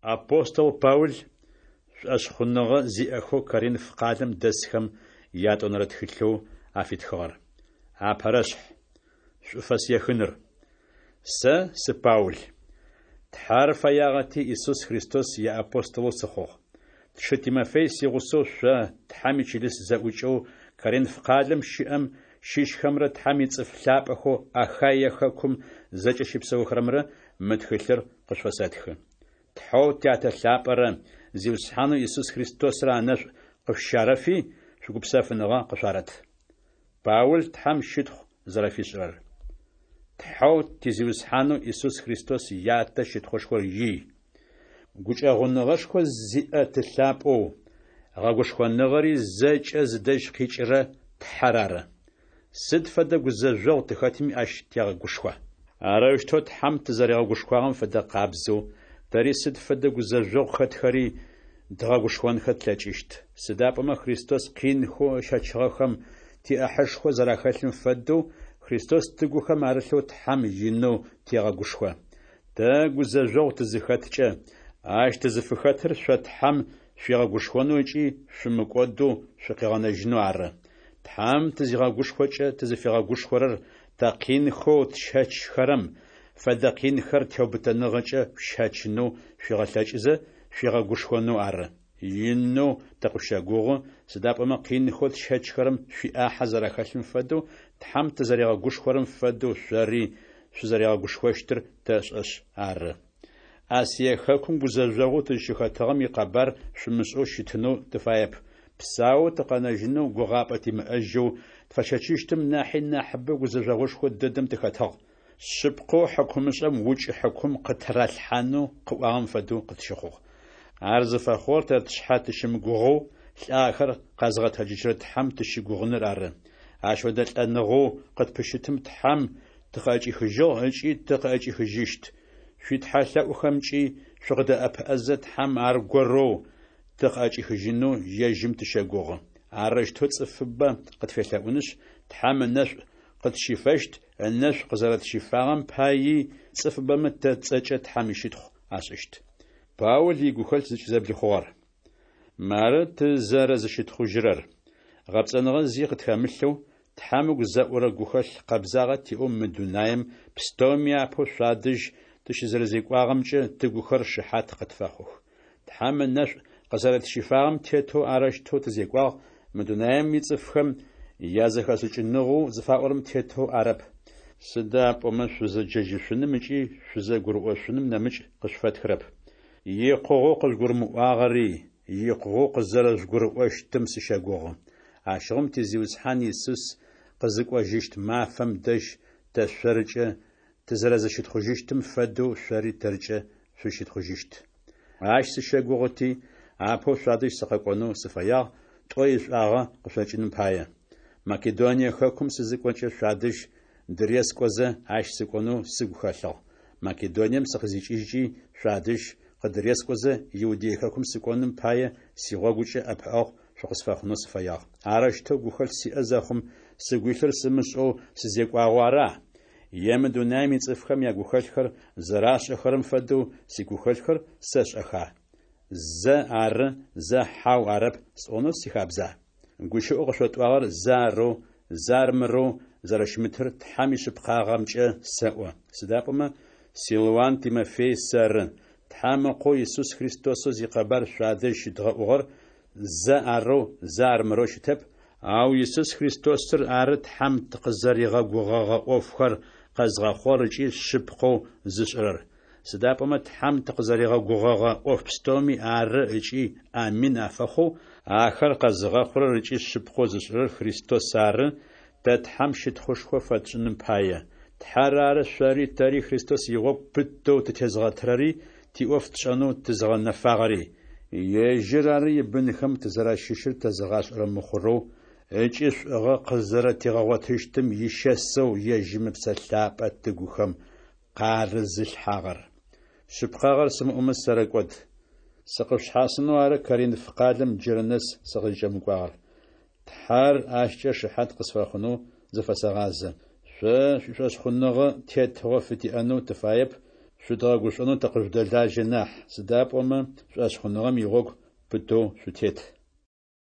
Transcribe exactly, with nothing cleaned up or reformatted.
Апостол Паул шӏошъхъуныгъэ зиӏэхэу Коринф къалэм дэсхэм ятӏонэрэ тхылъэу афитхыгъэр. Апэрэшъхь. Шӏуфэс ехыныр. Сэ сы Паул. Тхьэр фэягъэти, Исус Христос иапостолэу сыхъугъ. Тшы Тимофей сигъусэу шъо, Тхьэм ичылыс зэӏукӏэу Коринф къалэм щыӏэм щыщхэмрэ Тхьэм ицӏыф лъапӏэхэу Ахаие хэкум зэкӏэ щыпсэухэрэмрэ мы тхылъыр къышъуфэсэтхы. Тхьэу Тятэ лъапӏэрэ Зиусхьанэу Исус Христосрэ анэшӏу къышъущарэфи, шъугупсэфыныгъэ къышъуарэт. Паул Тхьэм щытхъу зэрэфишӏырэр. Тхьэу ти Зиусхьанэу Исус Христос Ятэ щытхъушхор ий. Гукӏэгъуныгъэшхо зиӏэ Ты лъапӏэу, гъэгушхоныгъэри зэкӏэ зыдэжь къикӏырэ Тхьэр ары. Сыд фэдэ гузэжъогъу тыхэтми ащ тегъэгушхо. Арэущтэу Тхьэм тызэригъэгушхуагъэм фэдэ къабзэу, тэри сыд фэдэ гузэжъогъу хэтхэри дгъэгушхонхэ тлъэкӏыщт. Сыда пӏомэ Христос къинхэу ыщэчыгъэхэм тиӏахьышхо зэрахэлъым фэдэу, Христос тыгухэм арылъэу Тхьэм инэу тегъэгушхо. Тэ гузэжъогъу тызыхэткӏэ, ащ тызыфыхэтыр шъо Тхьэм шъуигъэгушхонэу ыкӏи шъумыкӏодэу шъукъигъэнэжьынэу ары. Тхьэм тызигъэгушхокӏэ тызыфигъэгушхорэр тэ къинхэу тщэчхэрэм фэдэ къинхэр теубытэныгъэкӏэ шъущэчынэу шъуигъэлъэкӏызэ шъуигъэгушхонэу ары. Инэу тыкъышъущэгугъы, сыда пӏомэ къинхэу тщэчхэрэм шъуиӏахьэ зэрахэлъым фэдэу, Тхьэм тызэригъэгушхорэм фэдэу шъори шъузэригъэгушхощтыр тэшӏэшъ ары. Асие хэкум гузэжъогъоу тызщыхэтыгъэм икъэбар шъумышӏэу щытынэу тыфаеп. Псаоу тыкъэнэжьынэу гугъапӏэ тимыӏэжьэу, тфэщэчыщтым нахьи нахьыбэу гузэжъогъушхо дэдэм тыхэтыгъ. Шъыпкъэу хьыкумышӏэм укӏ хьыкум къыттыралъхьанэу къыӏуагъэм фэдэу къытщыхъугъ. Ар зыфэхъугъэр тэ тшъхьэ тыщымыгугъэу, лӏагъэхэр къэзгъэтэджыжьырэ Тхьэм тыщыгугъыныр ары. Ащ фэдэ лӏэныгъэу къытпыщытым Тхьэм тыкъыӏэкӏихыжьыгъ ыкӏи тыкъыӏэкӏихыжьыщт. Шъуитхьэлъэӏухэмкӏи шъукъыддэӏэпыӏэзэ, Тхьэм аргорэу тыкъыӏэкӏихыжьынэу ежьым тыщэгугъы. Арэущтэу цӏыфыбэ къытфелъэӏунышъ, Тхьэм ынэшӏу къытщифэщт, ынэшӏу къызэрэтщифагъэм паий цӏыфыбэмэ тэ тцӏэкӏэ Тхьэм ищытхъу ашӏыщт. Паул игухэлъ зыкӏызэблихъугъэр. Мары тызэрэзыщытхъужьырэр: гъэпцӏэныгъэ зи къытхэмылъэу, Тхьэм ыгу зэӏурэ гухэлъ къэбзагъэ тиӏэу мы дунаем пстэуми апэу шъуадэжь тыщызэрэзекӏуагъэмкӏэ тыгухэр шыхьат къытфэхъух. Тхьэм ынэшӏу къызэрэтщифагъэм тетэу арэущтэу тызекӏуагъ, мы дунаем ицӏыфхэм язэхэшӏыкӏыныгъэу зыфаӏорэм тетэу арэп. Сыда пӏомэ шъузэджэжьышъуным ыкӏи шъузэгурыӏошъуным нэмыкӏ къышъуфэтхырэп. Икъугъэу къыжъугурымыӏуагъэри, икъугъэу къызэрэжъугурыӏощтым сыщэгугъы. Ащыгъум ти Зиусхьан Исус къызыкӏожьыщт мафэм дэжь тэ шъоркӏэ тызэрэзыщытхъужьыщтым фэдэу шъори тэркӏэ шъузщытхъужьыщт. Ащ сыщэгугъыти, апэу шъуадэжь сыкъэкӏонэу сыфэягъ, тӏо ишӏуагъэ къышъокӏыным пае. Македоние хэкум сызыкӏокӏэ шъуадэжь дырескӏозэ, ащ сыкӏонэу сыгу хэлъыгъ. Македонием сыкъызикӏыжькӏи, шъуадэжь къыдырескӏозэ, Иудей хэкум сыкӏоным пае, сигъогукӏэ ӏэпыӏэгъу шъукъысфэхъунэу сыфэягъ. Арэущтэу гухэлъ сиӏэ зэхъум, сыгу илъыр сымышӏэу сызекӏуагъэу ара? Е мы дунаем ицӏыфхэм ягухэлъхэр зэрашӏэхэрэм фэдэу сигухэлъхэр сэшӏэха? Зэ ары, зэ хьау арэп сӏонэу сихабза? Гущыӏэу къышъотӏуагъэр зэ арэу, зэ армырэу зэрэщымытыр Тхьэм ишъыпкъагъэмкӏэ сэӏо. Сыда пӏомэ Силуан Тимофей сэры, Тхьэм Ыкъоу Исус Христосэу зикъэбар шъуадэжь щыдгъэӏугъэр зэ арэу, зэ армырэу щытэп, ау Исус Христосыр ары Тхьэм тыкъызэригъэгугъэгъэ ӏофхэр къэзгъэхъугъэр ыкӏи шъыпкъэу зышӏырэр. Сыда пӏомэ Тхьэм тыкъызэригъэгугъэгъэ ӏоф пстэуми ары ыкӏи Амин афэхъоу, ахэр къэзыгъэхъурэр ыкӏи шъыпкъэу зышӏырэр Христос ары, тэ Тхьэм щытхъушхо фэтшӏыным пае. Тхьэр ары шъори тэри Христос игъогу пытэу тытезыгъэтырэри тиӏоф тшӏэнэу тызыгъэнэфагъэри. Ежьыр ары ибынхэм тызэращыщыр тэзыгъашӏэрэ мыхъурэу ыкӏи шӏугъэ къызэрэтигъэгъотыщтым ищэсэу ежьым Ыпсэ Лъапӏэ тыгухэм къарызылъхьагъэр. Шъыпкъагъэр сымыӏомэ сэрэкӏод. Сыкъышъушъхьасынэу ары Коринф къалэм джырэ нэс сыкъызкӏэмыкӏуагъэр. Тхьэр ащкӏэ шыхьат къысфэхъунэу зыфэсэгъазэ. Шъо шъуишӏошъхъуныгъэ тетыгъо фытиӏэнэу тыфаеп, Шъудгъэгушӏонэу тыкъыжъудэлажьэ нахь, сыда пӏомэ шӏошъхъуныгъэм игъогу пытэу шъутет.